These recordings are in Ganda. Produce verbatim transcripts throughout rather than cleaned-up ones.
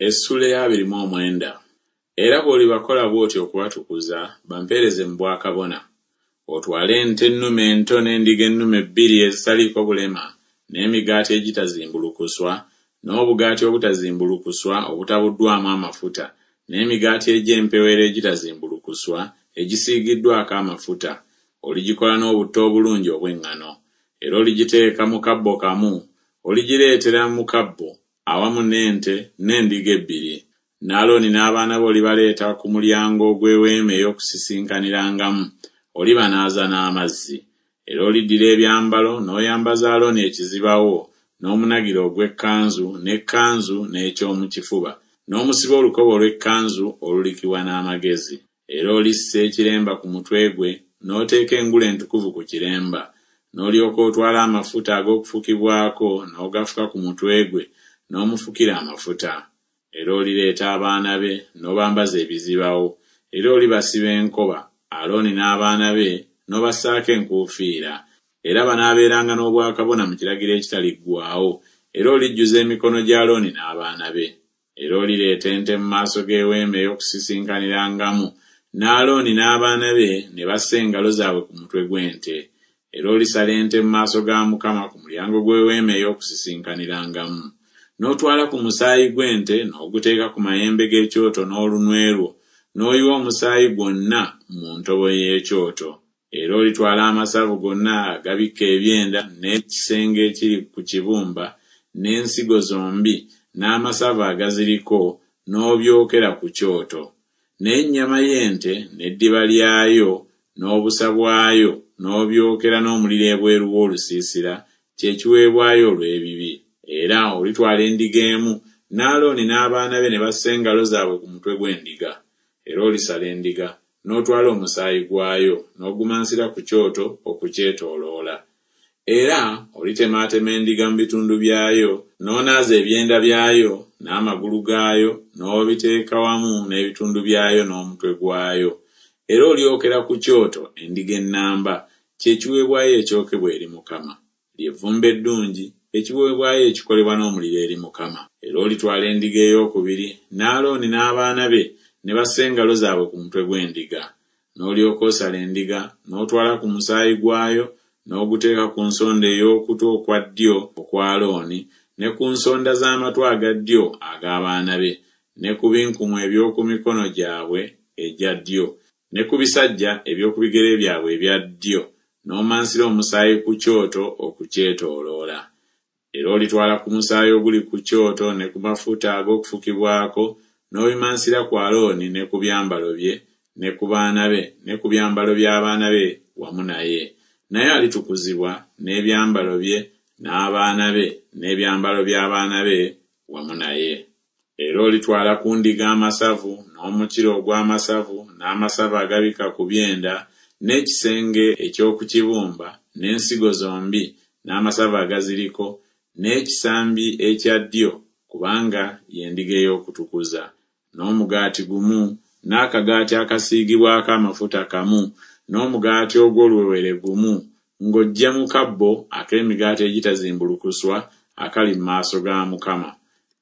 Essuula ey'abiri mu omwenda. Era bw'olibakola bw'otyo okubatukuza, bampeereze mu bwakabona. Otwale ente ennume ento n'endiga ennume bbiri ezitaliiko bulema, n'emigaati egitazimbulukuswa, n'obugaati obutazimbulukuswa obutabuddwamu amafuta, n'emigaati egy'empewero egitazimbulukuswa egisiigiddwako amafuta, oligikola n'obutto obulungi obw'eŋŋano. Era oligiteeka mu kabbo kamu, oligireetera mu kabbo awamu n'ente n'endiga ebbiri. Ne Alooni n'abaana be olibaleeta ku mulyango ogw'eweema ey'okusisinkanirangamu, olibanaaza n'amazzi. Era oliddira ebyambalo n'oyambaza Alooni ekizibawo, n'omunagiro ogw'ekkanzu, n'ekkanzu n'eky'omu kifuba, n'omusiba olukoba olw'ekkanzu olulikibwa n'amagezi. Era olissa ekiremba ku mutwe gwe, n'oteeka engule entukuvu ku kiremba. N'olyoka otwala amafuta ag'okufukibwako n'ogafuka ku mutwe gwe, n'omufukira amafuta. Era olireeta abaana be, n'obambaza ebizibawo, era olibasiba enkoba, Alooni n'abaana be, n'obassaako enkuufiira. Era banaabeeranga n'obwakabona mu kiragiro ekitaliggwaawo, era olijjuza emikono gya Alooni n'abaana be. Era olireeta ente mu maaso g'eweema ey'okusisinkanirangamu, ne Alooni n'abaana be ne bassa engalo zaabwe ku mutwe gw'ente. Era olisala ente mu maaso ga Mukama ku mulyango gw'eweema ey'okusisinkanirangamu. N'otwala ku musaayi gw'ente n'oguteeka ku mayembe g'ekyoto n'olunwe lwo, n'oyiwa omusaayi gwonna mu ntobo y'ekyoto. Era olitwala amasavu gonna agabikka ebyenda n'ekisenge ekiri ku kibumba, n'ensigo zombi, n'amasavu agaziriko, n'obyokera ku kyoto. N'ennyama y'ente n'eddiba lyayo n'obusa bwayo n'obyokera n'omuliro ebweru w'olusiisira, kye kiweebwayo olw'ebibi. Era olitwala endiga emu, ne Alooni n'abaana be ne bassa engalo zaabwe ku mutwe gw'endiga. Era olisala endiga, n'otwala omusaayi gwayo, n'ogumansira ku kyoto okukyetooloola. Era olitemaatema endiga mu bitundu byayo, n'onaaza ebyenda byayo n'amagulu gaayo, n'obiteeka wamu n'ebitundu byayo n'omutwe gwayo. Era olyokera ku kyoto endiga ennamba, kye kiweebwayo ekyokebwa eri Mukama. Lye vvumbe eddungi, ekiweebwayo ekikolebwa n'omuliro eri Mukama. Era olitwala endiga eyookubiri, ne Alooni n'abaana be ne bassa engalo zaabwe ku mutwe gw'endiga. N'olyoka osala endiga, n'otwala ku musaayi gwayo, n'oguteeka ku nsonda ey'okutu okwa ddyo okwa Alooni, ne ku nsonda z'amatu aga ddyo ag'abaana be, ne ku binkumu eby'oku mikono gyabwe egya ddyo, ne ku bisajja eby'oku bigere byabwe ebya ddyo, n'omansira omusaayi ku kyoto okukyetooloola. Era olitwala ku musaayi oguli ku kyoto ne ku mafuta ag'okufukibwako, n'obimansira ku Alooni ne ku byambalo bye, ne ku baana be, ne ku byambalo by'abaana be wamu naye. Naye alitukuzibwa n'ebyambalo bye, n'abaana be, n'ebyambalo by'abaana be wamu naye. Era olitwala ku ndiga amasavu, n'omukira ogw'amasavu, n'amasavu agabikka ku byenda, n'ekisenge eky'oku kibumba, n'ensigo zombi, n'amasavu agaziriko, n'ekisambi ekya ddyo, kubanga y'endiga ey'okutukuza, n'omugaati gumu, n'akagaati akasiigibwako amafuta kamu, n'omugaati ogw'oluwewere gumu, ng'oggya mu kabbo ak'emigaati egitazimbulukuswa akali mu maaso ga Mukama.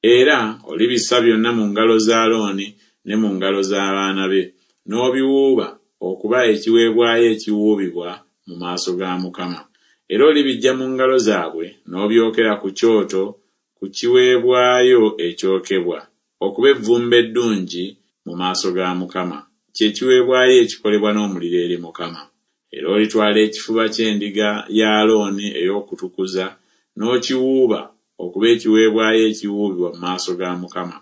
Era olibissa byonna mu ngalo za Alooni ne mu ngalo z'abaana be, n'obiwuuba okuba ekiweebwayo ekiwuubibwa mu maaso ga Mukama. Era olibiggya mu ngalo zaabwe n'obyokera ku kyoto ku kiweebwayo ekyokebwa, okuba evvumbe eddungi mu maaso ga Mukama, kye kiweebwayo ekikolebwa n'omuliro eri Mukama. Era olitwala ekifuba ky'endiga ya Alooni ey'okutukuza, n'okiwuuba okuba ekiweebwayo ekiwuubibwa mu maaso ga Mukama,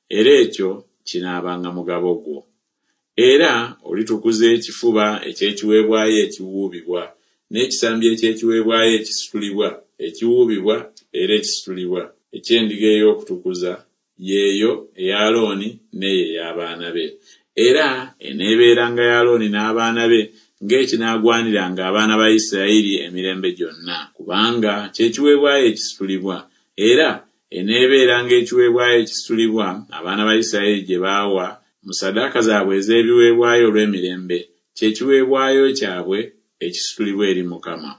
era ekyo kinaabanga mugabo gwo. Era olitukuza ekifuba eky'ekiweebwayo ekiwuubibwa, n'ekisambi eky'ekiweebwayo ekisitulibwa, ekiwuubibwa era ekisitulibwa, eky'endiga ey'okutukuza, y'eyo eya Alooni n'eyo ey'abaana be. Era eneebeeranga ya Alooni n'abaana be ng'ekinaagwaniranga abaana ba Isirayiri emirembe gyonna, kubanga kye kiweebwayo ekisitulibwa. Era eneebeeranga ekiweebwayo ekisitulibwa abaana ba Isirayiri gye baawa mu ssaddaaka zaabwe ez'ebiweebwayo olw'emirembe, kye kiweebwayo kyabwe ekisitulibwa eri Mukama.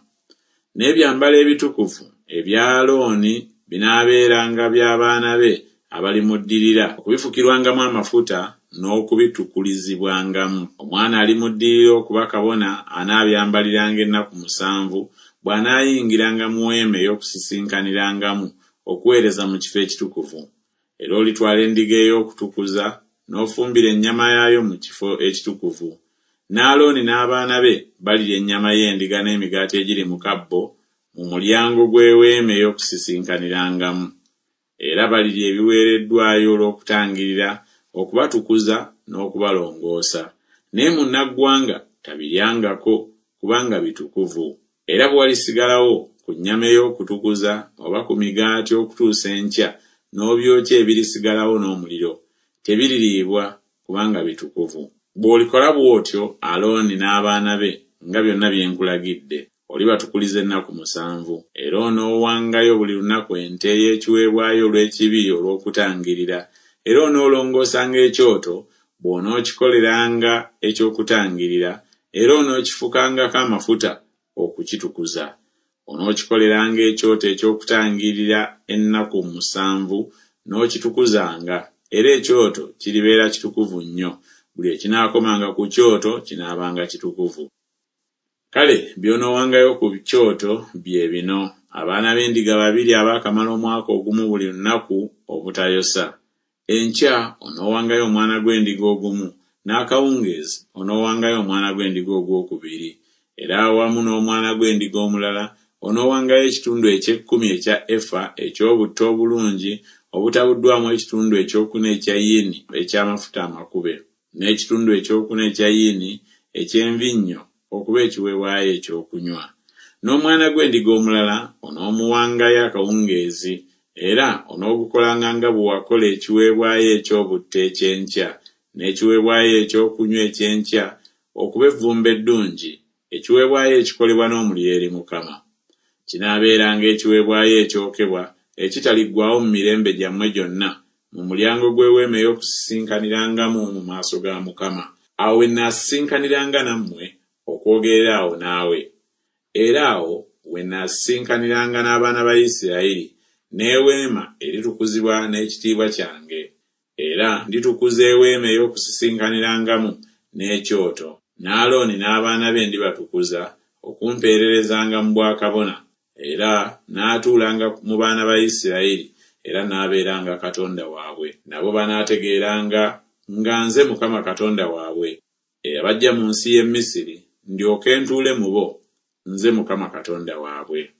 N'ebyambalo ebitukuvu ebya Alooni binaabeeranga by'abaana be abalimuddirira okubifukirwangamu amafuta n'okubitukulizibwangamu. Omwana alimuddirira okuba kabona anaabyambaliranga ennaku musanvu bw'anaayingiranga mu weema ey'okusisinkanirangamu okuweereza mu kifo ekitukuvu. Era olitwala endiga ey'okutukuza n'ofumbira ennyama yaayo mu kifo ekitukuvu. Ne Alooni n'abaana be balirya ennyama y'endiga n'emigaati egiri mu kabbo mu mulyango gw'eweema ey'okusisinkanirangamu. Era balirya ebiweereddwayo olw'okutangirira okubatukuza n'okubalongoosa. Naye munnaggwanga tabiryangako kubanga bitukuvu. Era bwe walisigalawo ku nnyama ey'okutukuza oba ku migaati okutuusa enkya n'obyokya ebirisigalawo n'omuliro, tebiririibwa kubanga bitukuvu. Bw'olikola bw'otyo Alooni n'abaana be nga byonna bye nkulagidde, olibatukuliza ennaku musanvu. Era onoowangayo buli lunaku ente ey'ekiweebwayo olw'ekibi olw'okutangirira, era onoolongoosanga ekyoto bw'onookikoleranga eky'okutangirira, era onookifukangako amafuta okukitukuza. Onookikoleranga ekyoto eky'okutangirira ennaku musanvu n'okitukuzanga, era ekyoto kiribeera kitukuvu nnyo. Buli ekinaakomanga ku kyoto kinaabanga kitukuvu. Kale by'onoowangayo ku kyoto bye bino: abaana b'endiga babiri abaakamala omwaka ogumu buli lunaku obutayosa. Enkya onoowangayo omwana gw'endiga ogumu, n'akawungeezi onoowangayo omwana gw'endiga ogwokubiri. Era awamu n'omwana gw'endiga omulala onoowangayo ekitundu eky'ekkumi ekya efa eky'obutto obulungi obutabuddwamu ekitundu ekyokuna ekya yini eky'amafuta amakube, n'ekitundu ekyokuna ekya yini eky'envinnyo okuba ekiweebwayo ekyokunywa. N'omwana gw'endiga omulala onoomuwangayo akawungeezi, era onoogukolanga nga bwe wakola ekiweebwayo eky'obutto eky'enkya n'ekiweebwayo ekyokunywa eky'enkya okuba evvumbe eddungi, ekiweebwayo ekikolebwa n'omuliro eri Mukama. Kinaabeeranga ekiweebwayo ekyokebwa ekitaliggwaawo mu mirembe gyammwe gyonna mu mulyango gw'eweema ey'okusisinkanirangamu mu maaso ga Mukama. Awo we nnaasisinkaniranga nammwe okwogerera awo naawe. Era awo we nnaasisinkaniranga n'abaana ba Isirayiri, n'eweema eritukuzibwa n'ekitiibwa kyange. Era nditukuza eweema ey'okusisinkanirangamu n'ekyoto, ne Alooni n'abaana be ndibatukuza okumpeererezanga mu bwakabona, era naatuulanga mu baana ba Isirayiri, era naabeeranga Katonda waabwe. Nabo banaategeeranga nga nze Mukama Katonda waabwe, eyabaggya mu nsi y'e Misiri, ndyoke ntuule mu bo, nze Mukama Katonda waabwe.